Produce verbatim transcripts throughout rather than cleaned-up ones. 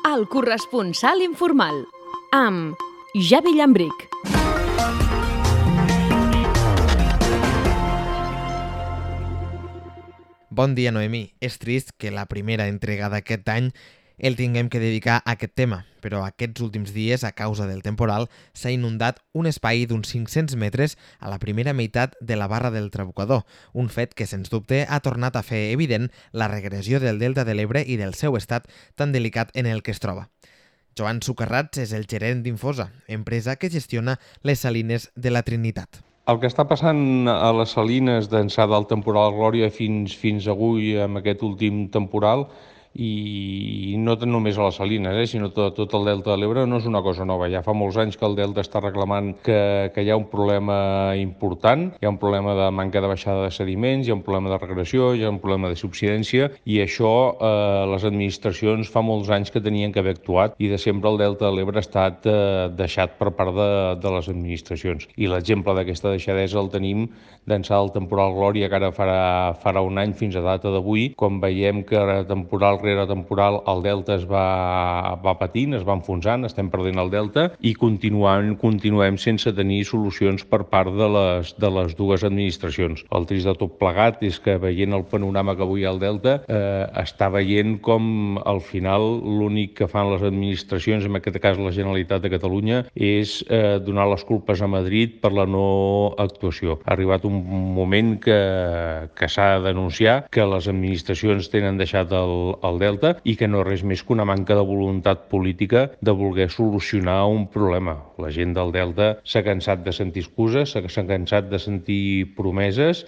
El corresponsal informal, amb Javi Llambric. Bon dia, Noemí. És trist que la primera entrega d'aquest any el tinguem que dedicar a aquest tema, però aquests últims dies, a causa del temporal, s'ha inundat un espai d'uns cinc-cents metres a la primera meitat de la barra del Trabucador, un fet que, sens dubte, ha tornat a fer evident la regressió del Delta de l'Ebre i del seu estat tan delicat en el que es troba. Joan Sucarrats és el gerent d'Infosa, empresa que gestiona les salines de la Trinitat. El que està passant a les salines d'ençà del temporal Glòria fins, fins avui amb aquest últim temporal, i no només a les salines, eh, sinó tot, tot el Delta de l'Ebre, no és una cosa nova. Ja fa molts anys que el Delta està reclamant que, que hi ha un problema important, hi ha un problema de manca de baixada de sediments, hi ha un problema de regressió, hi ha un problema de subsidència, i això eh, les administracions fa molts anys que tenien que haver actuat, i de sempre el Delta de l'Ebre ha estat eh, deixat per part de, de les administracions. I l'exemple d'aquesta deixadesa el tenim d'ençà del temporal Glòria, que ara farà, farà un any fins a data d'avui, quan veiem que era temporal rere temporal el Delta es va, va patint, es va enfonsant, estem perdent el Delta i continuem, continuem sense tenir solucions per part de les, de les dues administracions. El trist de tot plegat és que, veient el panorama que avui hi ha al Delta, eh, està veient com al final l'únic que fan les administracions, en aquest cas la Generalitat de Catalunya, és eh, donar les culpes a Madrid per la no actuació. Ha arribat un moment que, que s'ha de denunciar que les administracions tenen deixat el, el Delta i que no és res més que una manca de voluntat política de voler solucionar un problema. La gent del Delta s'ha cansat de sentir excuses, s'ha cansat de sentir promeses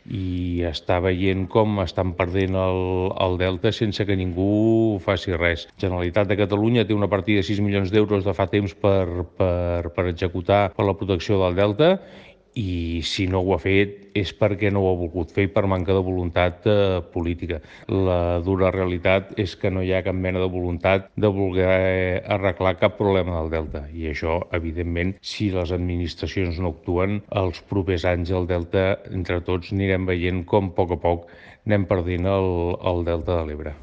i està veient com estan perdent el, el Delta sense que ningú faci res. La Generalitat de Catalunya té una partida de sis milions d'euros de fa temps per, per, per executar per la protecció del Delta, i si no ho ha fet és perquè no ho ha volgut fer per manca de voluntat eh, política. La dura realitat és que no hi ha cap mena de voluntat de voler arreglar cap problema del Delta, i això, evidentment, si les administracions no actuen, els propers anys el Delta, entre tots, anirem veient com a poc a poc anem perdent el, el Delta de l'Ebre.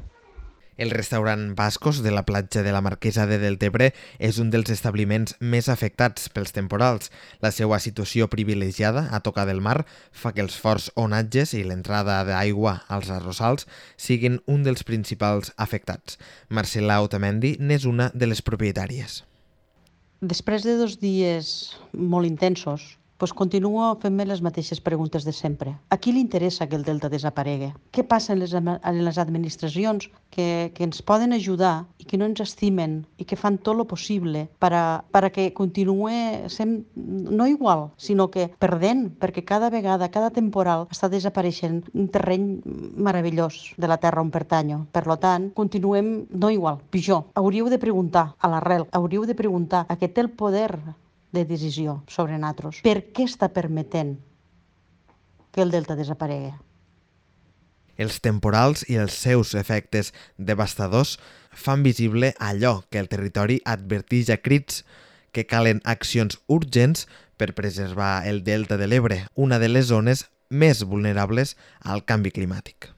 El restaurant Bascos de la platja de la Marquesa de Deltebre és un dels establiments més afectats pels temporals. La seva situació privilegiada a tocar del mar fa que els forts onatges i l'entrada d'aigua als arrossals siguin un dels principals afectats. Marcela Otamendi n'és una de les propietàries. Després de dos dies molt intensos, doncs continuo fent-me les mateixes preguntes de sempre. A qui li interessa que el Delta desaparegui? Què passa en les, en les administracions que, que ens poden ajudar i que no ens estimen i que fan tot el possible per a, per a que continuï sent no igual, sinó que perdent, perquè cada vegada, cada temporal està desapareixent un terreny meravellós de la terra on pertanyo. Per tant, continuem no igual, pitjor. Hauríeu de preguntar a l'arrel, hauríeu de preguntar a qui té el poder de decisió sobre nosaltres. Per què està permetent que el Delta desaparegui? Els temporals i els seus efectes devastadors fan visible allò que el territori adverteix a crits, que calen accions urgents per preservar el Delta de l'Ebre, una de les zones més vulnerables al canvi climàtic.